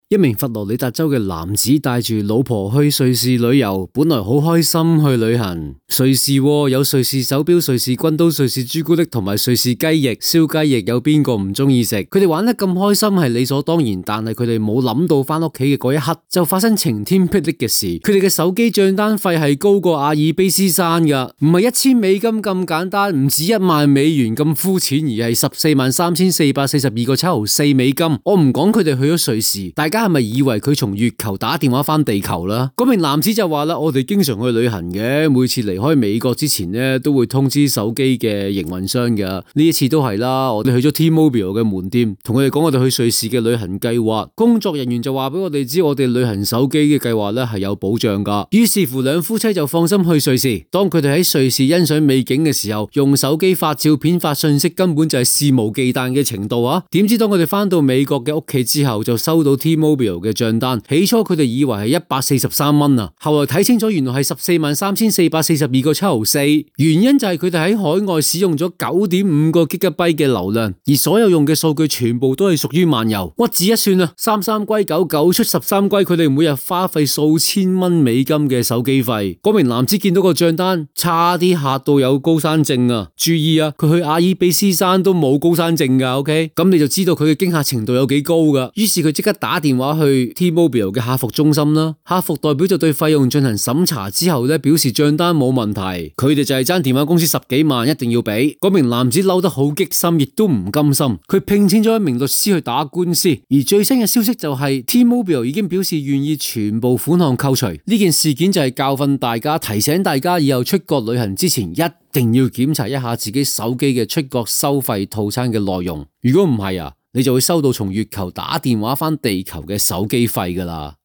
一名佛羅里達州嘅男子帶住老婆去瑞士旅遊，本來好開心去旅行。瑞士有瑞士手錶、瑞士軍刀、瑞士朱古力同埋瑞士雞翼、燒雞翼，有邊個唔中意食？佢哋玩得咁開心係理所當然，但係佢哋冇諗到翻屋企嘅嗰一刻就發生晴天霹靂嘅事。佢哋嘅手機賬單費係高過阿爾卑斯山噶，唔係$1000咁簡單，唔止$10,000咁膚淺，而係$143,442個7毫4。我唔講佢哋去咗瑞士，大家係咪以為佢從月球打電話翻地球啦？嗰名男子就話啦：我哋經常去旅行嘅，每次離開美國之前呢，都會通知手機嘅營運商噶。呢一次都係啦，我哋去咗 T-Mobile 嘅門店，同佢哋講我哋去瑞士嘅旅行計劃。工作人員就話俾我哋知，我哋旅行手機嘅計劃呢係有保障噶。於是乎，兩夫妻就放心去瑞士。當佢哋喺瑞士欣賞美景嘅時候，用手機發照片、發信息，根本就係肆無忌憚嘅程度啊！點知當佢哋翻到美國嘅屋企之後，就收到 T-Mobile 嘅賬單。起初佢哋以為係143蚊啊，後來睇清楚原來係$143,442個7毫4。原因就係佢哋喺海外使用咗9.5個 GB 嘅流量，而所有用嘅數據全部都係屬於漫遊。屈指一算啊，33歸9，九出13歸，佢哋每日花費數千蚊美金嘅手機費。嗰名男子見到個賬單，差啲嚇到有高山症啊！注意啊，佢去阿爾卑斯山都冇高山症噶，OK？咁你就知道佢嘅驚嚇程度有幾高噶。於是佢即刻打電話去 T-Mobile 嘅客服中心啦，客服代表就對費用進行審查之後咧，表示賬單冇問題，佢哋就係爭電話公司10幾萬，一定要俾。嗰名男子嬲得好激心，亦都唔甘心，佢聘請咗一名律師去打官司。而最新嘅消息就係 T-Mobile 已經表示願意全部款項扣除。呢件事件就係教訓大家，提醒大家以後出國旅行之前一定要檢查一下自己手機嘅出國收費套餐嘅內容。如果唔係啊，你就會收到從月球打電話返地球嘅手機費㗎喇。